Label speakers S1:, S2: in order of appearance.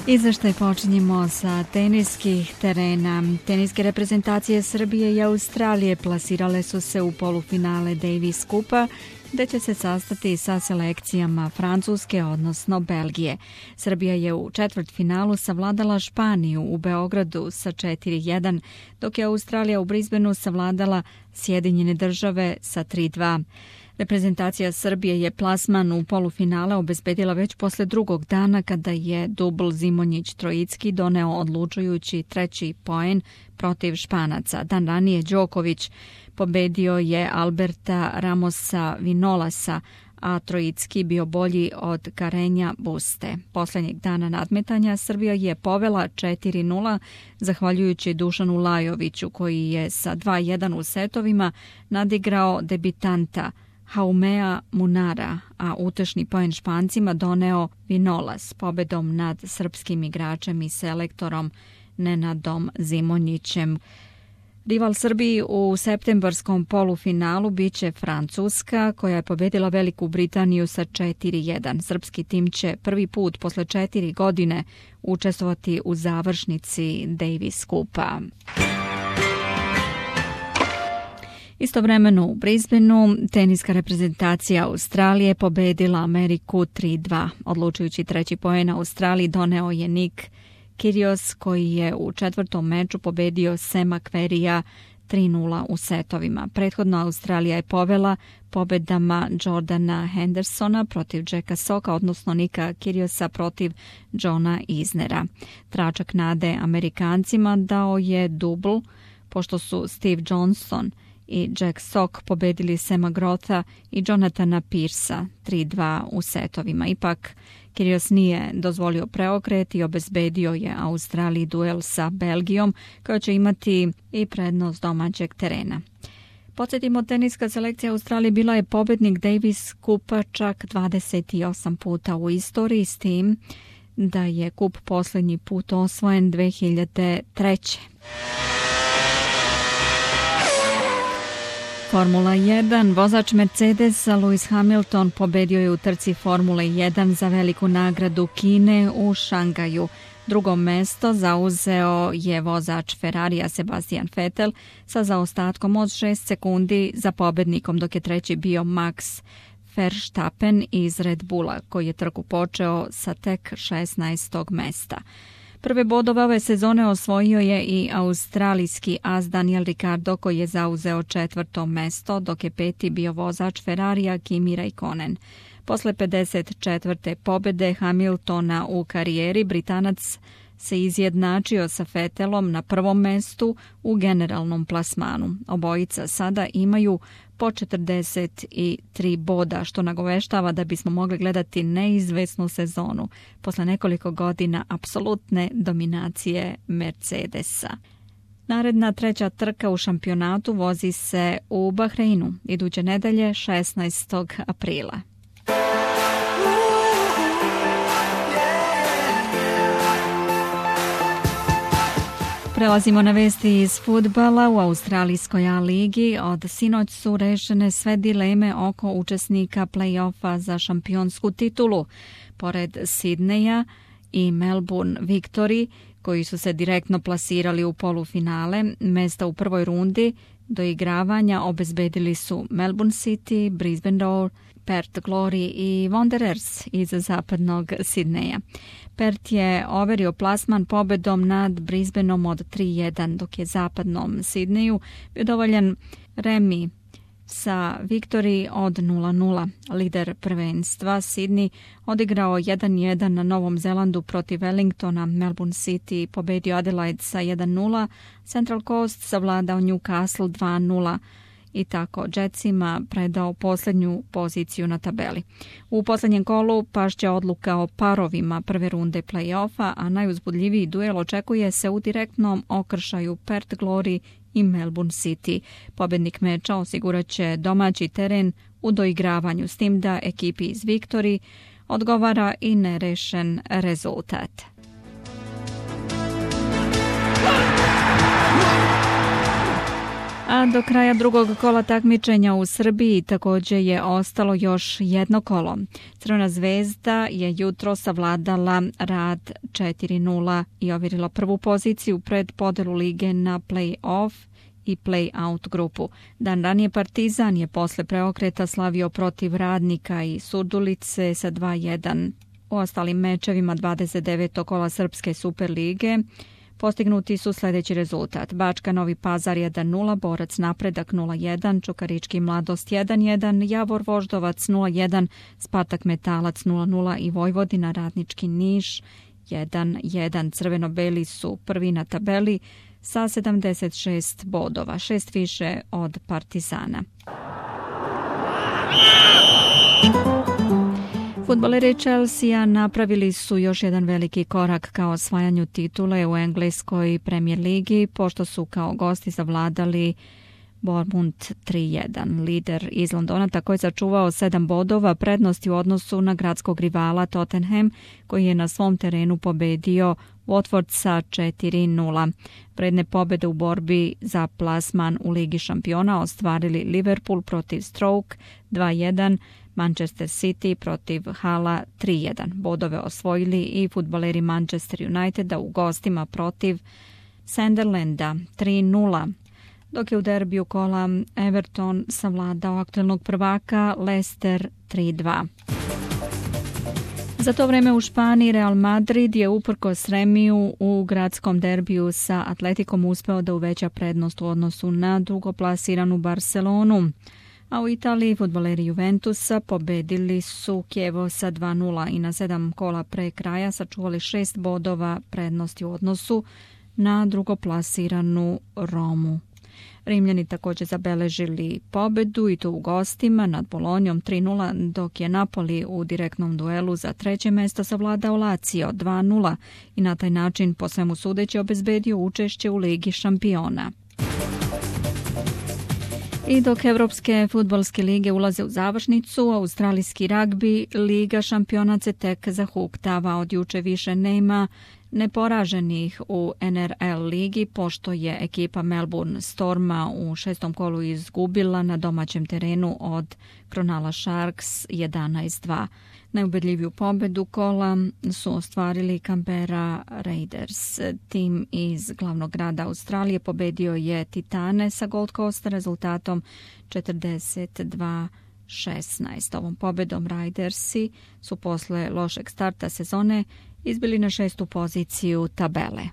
S1: Izveštaj počinjemo sa teniskih terena. Teniske reprezentacije Srbije i Australije plasirale su se u polufinale Davis Kupa, gde će se sastati sa selekcijama Francuske, odnosno Belgije. Srbija je u četvrtfinalu savladala Španiju u Beogradu sa 4:1, dok je Australija u Brisbaneu savladala Sjedinjene Države sa 3:2. Reprezentacija Srbije je plasman u polufinale obezbedila već posle drugog dana kada je dubl Zimonjić-Trojicki doneo odlučujući treći poen protiv Španaca. Dan ranije Đoković pobedio je Alberta Ramosa Vinolasa, a Trojicki bio bolji od Karenja Buste. Poslednjeg dana nadmetanja Srbija je povela 4:0 zahvaljujući Dušanu Lajoviću koji je sa 2:1 u setovima nadigrao debitanta Haumea Munara, a utešni poen Špancima doneo Vinolas pobedom nad srpskim igračem i selektorom Nenadom Zimonjićem. Rival Srbiji u septembarskom polufinalu biće Francuska, koja je pobedila Veliku Britaniju sa 4:1. Srpski tim će prvi put posle 4 godine učestvovati u završnici Davis Kupa. Istovremeno u Brisbaneu teniska reprezentacija Australije pobedila Ameriku 3:2. Odlučujući treći poen Australiji doneo je Nick Kyrgios koji je u četvrtom meču pobedio Sema Querreyja 3:0 u setovima. Prethodno Australija je povela pobedama Jordana Hendersona protiv Jacka Socka, odnosno Nika Kyrgiosa protiv Johna Isnera. Tračak nade Amerikancima dao je dubl, pošto su Steve Johnson i Jack Sock pobedili Sema Grotha i Jonathana Pearsa 3:2 u setovima. Ipak, Kyrgios nije dozvolio preokret i obezbedio je Australiji duel sa Belgijom, koja će imati i prednost domaćeg terena. Podsjetimo, teniska selekcija Australije bila je pobednik Davis Kupa čak 28 puta u istoriji, s tim da je kup posljednji put osvojen 2003. Formula 1. Vozač Mercedesa Lewis Hamilton pobedio je u trci Formule 1 za veliku nagradu Kine u Šangaju. Drugo mesto zauzeo je vozač Ferrarija Sebastian Vettel sa zaostatkom od 6 sekundi za pobednikom, dok je treći bio Max Verstappen iz Red Bulla, koji je trku počeo sa tek 16. mesta. Prve bodove ove sezone osvojio je i australijski as Daniel Ricciardo koji je zauzeo 4. mesto, dok je peti bio vozač Ferrarija Kimi Räikkönen. Posle 54. pobede Hamiltona u karijeri, Britanac se izjednačio sa Vettelom na prvom mestu u generalnom plasmanu. Obojica sada imaju po 43 boda, što nagoveštava da bismo mogli gledati neizvesnu sezonu posle nekoliko godina apsolutne dominacije Mercedesa. Naredna treća trka u šampionatu vozi se u Bahreinu iduće nedelje 16. aprila. Prelazimo na vesti iz fudbala. U australijskoj A-ligi od sinoć su rešene sve dileme oko učesnika play-offa za šampionsku titulu. Pored Sidneja i Melbourne Victory, koji su se direktno plasirali u polufinale, mesta u prvoj rundi doigravanja obezbedili su Melbourne City, Brisbane Roar, Perth Glory i Wanderers iz zapadnog Sidneja. Perth je overio plasman pobedom nad Brisbaneom od 3:1, dok je zapadnom Sidneju bio dovoljan remi sa Victory od 0:0. Lider prvenstva Sydney odigrao 1:1 na Novom Zelandu protiv Wellingtona. Melbourne City pobedio Adelaide sa 1:0. Central Coast savladao Newcastle 2:0 i tako Jetsima predao posljednju poziciju na tabeli. U posljednjem kolu pašće odluka o parovima prve runde play-offa, a najuzbudljiviji duel očekuje se u direktnom okršaju Perth Glory i Melbourne City. Pobednik meča osigurat će domaći teren u doigravanju, s tim da ekipi iz Victory odgovara i nerešen rezultat. A do kraja drugog kola takmičenja u Srbiji također je ostalo još jedno kolo. Crvena zvezda je jutro savladala Rad 4:0 i ovjerila prvu poziciju pred podelu lige na play-off i play-out grupu. Dan ranije Partizan je posle preokreta slavio protiv Radnika i Surdulice sa 2:1. U ostalim mečevima 29. kola Srpske Superlige postignuti su sljedeći rezultat. Bačka Novi Pazar 1:0, Borac Napredak 0:1, Čukarički Mladost 1:1, Javor Voždovac 0:1, Spartak Metalac 0:0 i Vojvodina Radnički Niš 1:1. Crveno-beli su prvi na tabeli sa 76 bodova, 6 više od Partizana. Fudbaleri Chelsea napravili su još jedan veliki korak ka osvajanju titule u engleskoj Premier ligi, pošto su kao gosti zavladali Bournemouth 3:1. Lider iz Londona tako je sačuvao 7 bodova prednosti u odnosu na gradskog rivala Tottenham, koji je na svom terenu pobedio Watford sa 4:0. Predne pobjede u borbi za plasman u Ligi šampiona ostvarili Liverpool protiv Stoke 2:1, Manchester City protiv Hala 3:1. Bodove osvojili i fudbaleri Manchester Uniteda u gostima protiv Sunderlanda 3:0. Dok je u derbiju kola Everton savladao aktualnog prvaka Leicester 3:2. Za to vreme u Španiji Real Madrid je uprkos remiju u gradskom derbiju sa Atletikom uspeo da uveća prednost u odnosu na drugoplasiranu Barcelonu. A u Italiji fudbaleri Juventusa pobedili su Chievo sa 2:0 i na 7 kola pre kraja sačuvali 6 bodova prednosti u odnosu na drugoplasiranu Romu. Rimljani također zabeležili pobedu i to u gostima nad Bolonjom 3:0, dok je Napoli u direktnom duelu za treće mesto savladao Lazio 2:0 i na taj način po svemu sudeći obezbedio učešće u Ligi šampiona. I dok evropske fudbalske lige ulaze u završnicu, australijski ragbi Liga šampiona se tek zahuktava. Od juče više nema neporaženih u NRL ligi, pošto je ekipa Melbourne Storma u 6. kolu izgubila na domaćem terenu od Cronulla Sharks 11:2. Najubedljiviju pobedu kola su ostvarili Canberra Raiders. Tim iz glavnog grada Australije pobedio je Titane sa Gold Coasta rezultatom 42-16. Ovom pobedom Raidersi su posle lošeg starta sezone izbili na 6. poziciju tabele.